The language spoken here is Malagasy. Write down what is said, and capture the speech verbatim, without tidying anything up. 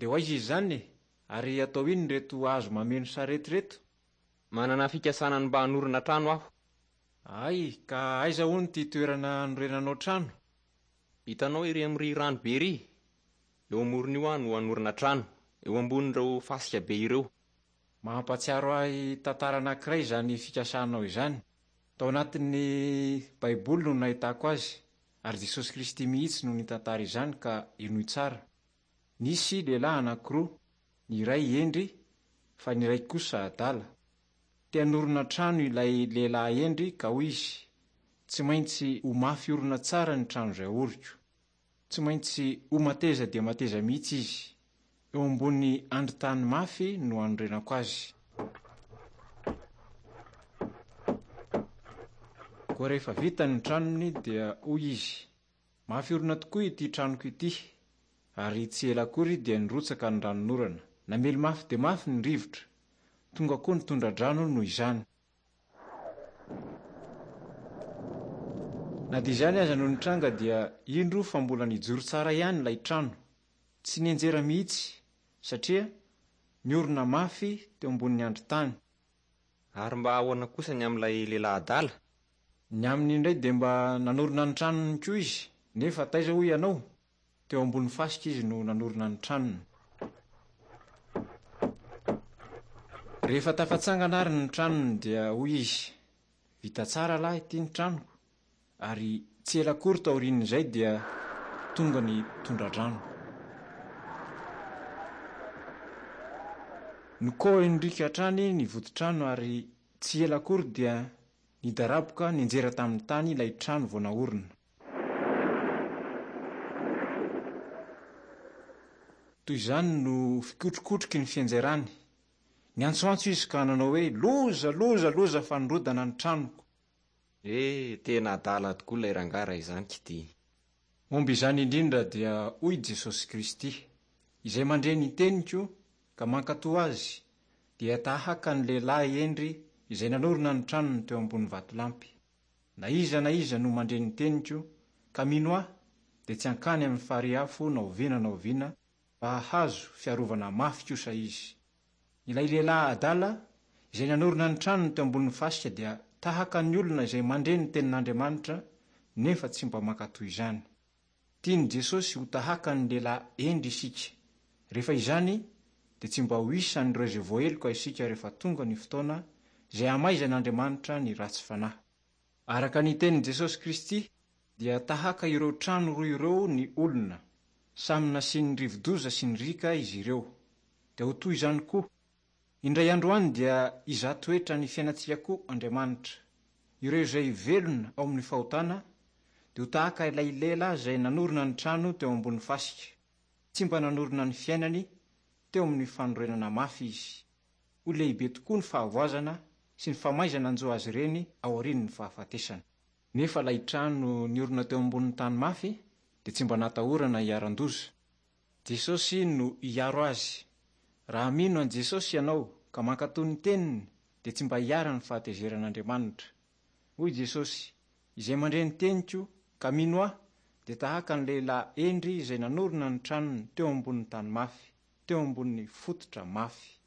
Dia ho aiza izy izany e? Ary atao inona ireto hazo mameno sarety ireto? Manana fikasana ny mba hanorina trano aho. Ay, ka aiza hono ity toerana hanorenanao trano? Hitanao ery amin'ny rano be ery? Eo amoron'io aho no hanorina trano, eo ambonin'ireo fasika be ireo. Mampahatsiaro ahy tantara anankiray izany fikasanao izany. Tao anatin'ny Baiboly no nahitako azy, ary Jesosy Kristy mihitsy no nitantara izany ka henoy tsara. Nisy lehilahy anankiroa, ny iray hendry fa ny iray kosa adala. Te hanorina trano ilay lehilahy hendry ka hoy izy: "Tsy maintsy ho mafy orina tsara ny trano izay aoriko. Tsy maintsy ho mateza dia mateza mihitsy izy. Eo ambony andrin-tany mafy no hanorenako azy." Koa rehefa vita ny tranony dia hoy izy: "Mafy orina tokoa ity tranoko ity." Ary tsy ela akory dia nirotsaka ny ranonorana. Namely mafy dia mafy ny rivotra. Tonga koa ny tondra-drano noho izany. Na dia izany aza no nitranga dia indro fa mbola nijoro tsara ihany ilay trano. Tsy nianjera mihitsy satria niorina mafy teo ambonin'ny andrin-tany. Ary mba ahoana kosa ny amin'ilay lehilahy adala? Ny aminy indray dia mba nanorina ny tranony koa izy, nefa taiza hoy ianao? Teo ambony fasika izy no nanorina ny tranony. Rehefa tafatsangana ary ny tranony dia hoy izy: "Vita tsara lahy ity ny tranoko." Ary tsy ela akory taorian'izay dia tonga ny tondra-drano. Nikohin-driaka hatrany ny voditrano ary tsy ela akory dia nidaraboka nianjera tamin'ny tany ilay trano vao naorina. Toy izany no fikotrokotroky ny fianjerany. Niantsoantso izy ka nanao hoe: "Loza, loza, loza fa nirodana ny tranoko." Eh, tena adala tokoa ilay rangahy raha izany k'ity. Momba izany indrindra dia hoy Jesosy Kristy: "Izay mandre ny teniko ka mankatò azy dia tahaka ny lehilahy hendry izay nanorina ny tranony teo ambony vatolampy. Na iza na iza no mandre ny teniko ka mino ahy dia tsy hankany amin'ny farihy afo na oviana na oviana fa hahazo fiarovana mafy kosa izy." Ilay lehilahy adala izay nanorina ny tranony teo ambonin'ny fasika dia tahaka ny olona izay mandre ny tenin'Andriamanitra nefa tsy mba mankatò izany. Tian'i Jesosy ho tahaka ny lehilahy hendry isika. Rehefa izany dia tsy mba ho isan'ireo izay voaheloka isika rehefa tonga ny fotoana izay hamaizan'Andriamanitra ny ratsy fanahy. Araka ny tenin'i Jesosy Kristy dia tahaka ireo trano roa ireo ny olona. Samy nasian'ny rivodoza sy ny riaka izy ireo. Dia ho toy izany koa. Indray andro any dia hizaha toetra ny fiainantsika koa Andriamanitra. Ireo izay velona ao amin'ny fahotana dia ho tahaka ilay lehilahy izay nanorina ny trano teo ambony fasika. Tsy mba nanorina ny fiainany teo amin'ny fanorenana mafy izy. Ho lehibe tokoa ny fahavoazana sy ny famaizana nanjo azy ireny aorian'ny fahafatesana. Nefa ilay trano niorina teo ambonin'ny tany mafy dia tsy mba natahorana hiharan-doza. Jesosy no hiaro azy. Raha mino an'i Jesosy ianao ka mankatò ny teniny dia tsy mba hiharan'ny fahatezeran'Andriamanitra. Hoy Jesosy: "Izay mandre ny teniko ka mino ahy dia tahaka ny lehilahy hendry izay nanorina ny tranony teo ambonin'ny tany mafy, teo ambonin'ny fototra mafy."